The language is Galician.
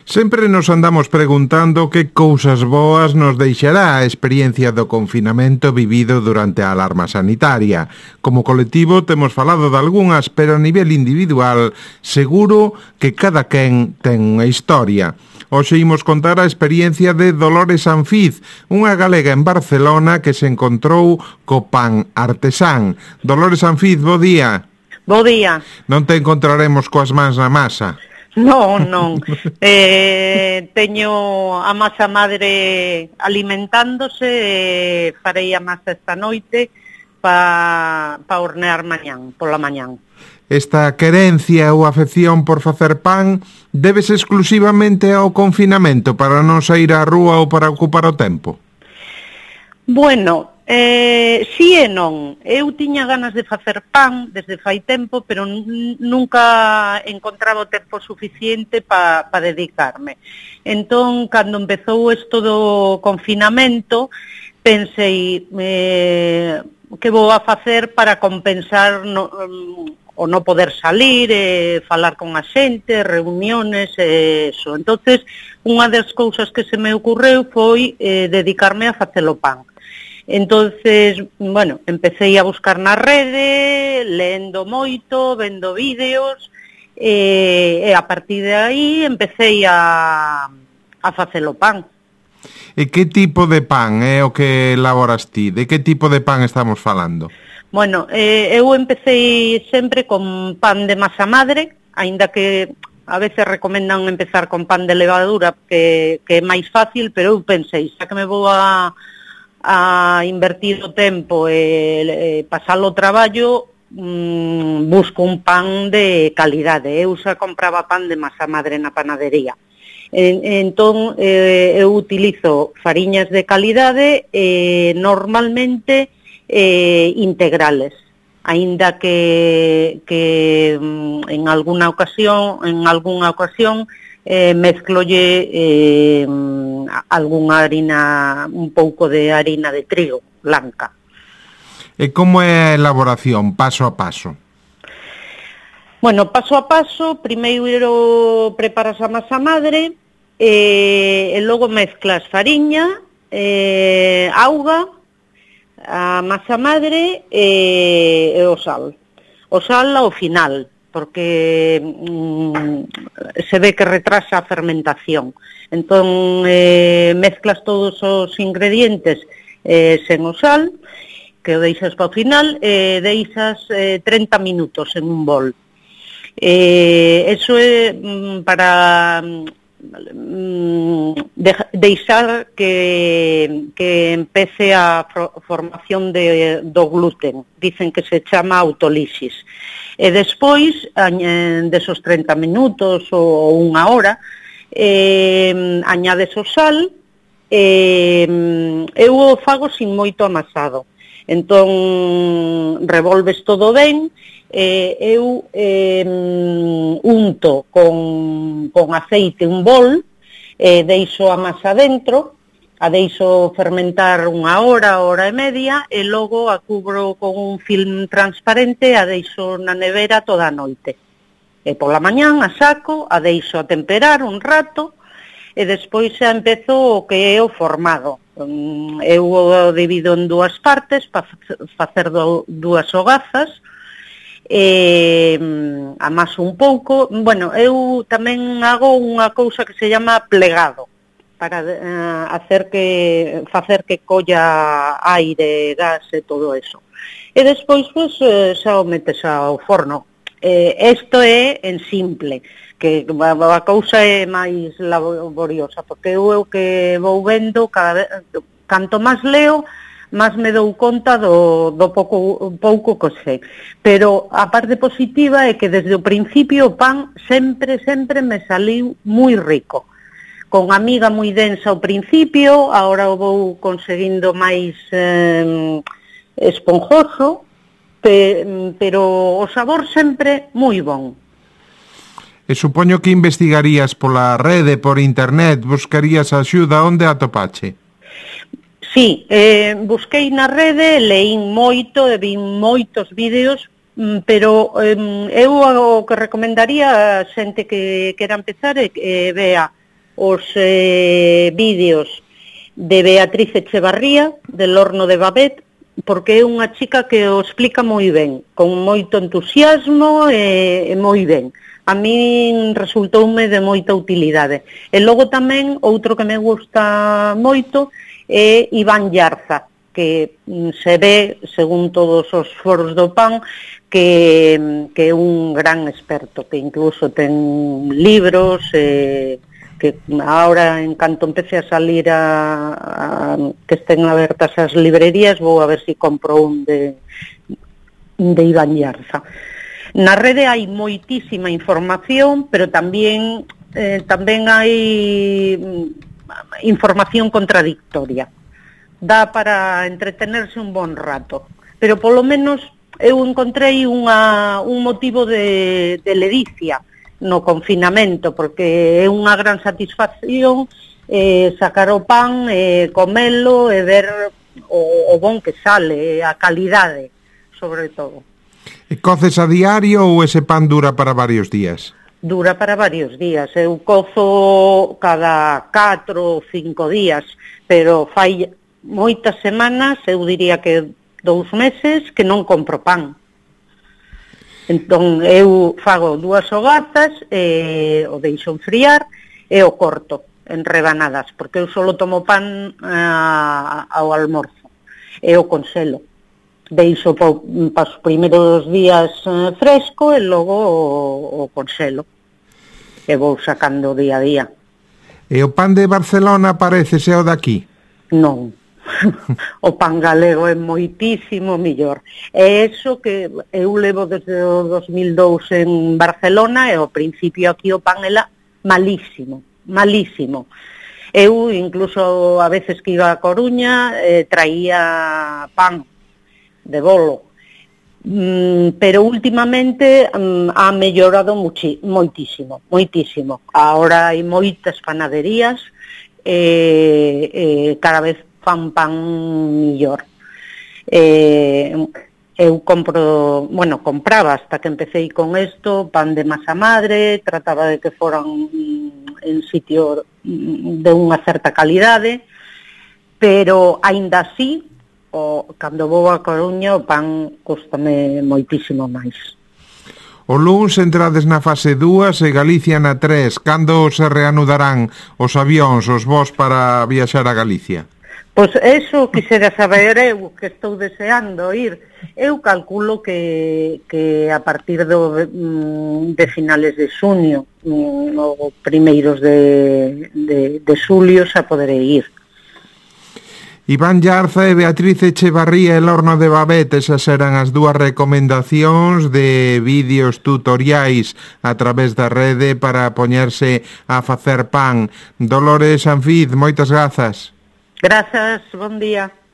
Sempre nos andamos preguntando que cousas boas nos deixará a experiencia do confinamento vivido durante a alarma sanitaria. Como colectivo temos falado de algunhas, pero a nivel individual seguro que cada quen ten unha historia. Hoxe imos contar a experiencia de Dolores Anfiz, unha galega en Barcelona que se encontrou co pan artesán. Dolores Anfiz, bo día. Bo día. Non te encontraremos coas mans na masa. Non. Teño a masa madre alimentándose, farei a masa esta noite pa hornear pola mañán. Esta querencia ou afección por facer pan débese exclusivamente ao confinamento para non sair á rúa ou para ocupar o tempo? Bueno, si e non. Eu tiña ganas de facer pan desde fai tempo, pero nunca encontraba o tempo suficiente pa dedicarme. Entón, cando empezou isto do confinamento, pensei que vou a facer para compensar o non poder salir, falar con a xente, reuniones, eso. Entonces, unha das cousas que se me ocorreu foi dedicarme a facelo pan. Entonces, bueno, empecé a buscar na rede, lendo moito, vendo vídeos, e a partir de aí empecé a facelo pan. E que tipo de pan é o que elaboras ti? De que tipo de pan estamos falando? Bueno, eu empecé sempre con pan de masa madre, aínda que a veces recomendan empezar con pan de levadura, que é máis fácil, pero eu pensei, xa que me vou a invertir o tempo e pasar o traballo, busco un pan de calidade. Eu xa compraba pan de masa madre na panadería. Entón, eu utilizo fariñas de calidade, normalmente integrales, aínda que en algunha ocasión mezclolle algunha harina, un pouco de harina de trigo blanca. E como é a elaboración, paso a paso? Bueno, paso a paso, primeiro preparas a masa madre, e logo mezclas fariña, auga, a masa madre e o sal. O sal ao final, porque se ve que retrasa a fermentación. Entón, mezclas todos os ingredientes sen o sal, que o deixas para o final, deixas 30 minutos en un bol. Eso é para deixar que empece a formación do gluten. Dicen que se chama autolisis. E despois, desos 30 minutos ou unha hora, añades o sal, eu o fago sin moito amasado. Entón, revolves todo ben, eu unto con aceite un bol, deixo a masa dentro, a deixo fermentar unha hora, hora e media, e logo a cubro con un film transparente e a deixo na nevera toda a noite. E pola mañán a saco, a deixo a temperar un rato, e despois xa empezo o que é o formado. Eu o divido en dúas partes para facer dúas hogazas, amaso un pouco. Bueno, eu tamén hago unha cousa que se llama plegado, para facer que colla aire, gas e todo eso. E despois, pues, xa o metes ao forno. Isto é en simple, que a cousa é máis laboriosa, porque eu o que vou vendo, canto máis leo, máis me dou conta do pouco que sei. Pero a parte positiva é que desde o principio o pan sempre me saliu moi rico. Con a miga moi densa ao principio, agora o vou conseguindo máis esponjoso, pero o sabor sempre moi bon. E supoño que investigarías pola rede, por internet, buscarías axuda, onde atopache? Sí, busquei na rede, leín moito, vin moitos vídeos, pero eu o que recomendaría a xente que quera empezar é que vea os vídeos de Beatriz Echevarría, del Horno de Babet, porque é unha chica que o explica moi ben, con moito entusiasmo e moi ben. A min resultoume de moita utilidade. E logo tamén, outro que me gusta moito, é Iván Llarza, que se ve, según todos os foros do PAN, que é un gran experto, que incluso ten libros, que ahora, en canto empece a salir que estén abertas as librerías, vou a ver se compro un de Iván Llarza. Na rede hai moitísima información, pero tamén hai información contradictoria. Dá para entretenerse un bon rato, pero polo menos eu encontrei un motivo de ledicia no confinamento, porque é unha gran satisfacción sacar o pan, comelo e ver o bon que sale, a calidade, sobre todo. E coces a diario ou ese pan dura para varios días? Dura para varios días. Eu cozo cada 4 ou 5 días, pero fai moitas semanas, eu diría que 2 meses, que non compro pan. Entón, eu fago 2 hogazas, o deixo enfriar e o corto en rebanadas, porque eu só tomo pan ao almorzo, e o conselo. Deixo para os primeiros días fresco e logo o conselo. E vou sacando día a día. E o pan de Barcelona parécese ao daqui? Non. O pan galego é moitísimo millor. É eso que eu levo desde o 2002 en Barcelona, e ao principio aquí o pan era malísimo, malísimo. Eu incluso a veces que iba a Coruña traía pan de bolo, pero últimamente ha mellorado moitísimo, moitísimo. Ahora hai moitas panaderías e cada vez fan pan millor. Eu compraba hasta que empecé con isto pan de masa madre, trataba de que foran en sitio de unha certa calidade, pero aínda así, cando vou a Coruña, o pan custame moitísimo máis. O luns entrades na fase 2 e Galicia na 3. Cando se reanudarán os avións, os voos para viaxar a Galicia? Pois eso quixera saber eu, que estou deseando ir. Eu calculo que a partir de finales de xuño, ou primeiros de xulio, xa poderei ir. Iván Llarza e Beatriz Echevarría, el Horno de Babet, esas eran as 2 recomendacións de vídeos tutoriais a través da rede para poñerse a facer pan. Dolores Anfiz, moitas grazas. Grazas, bon día.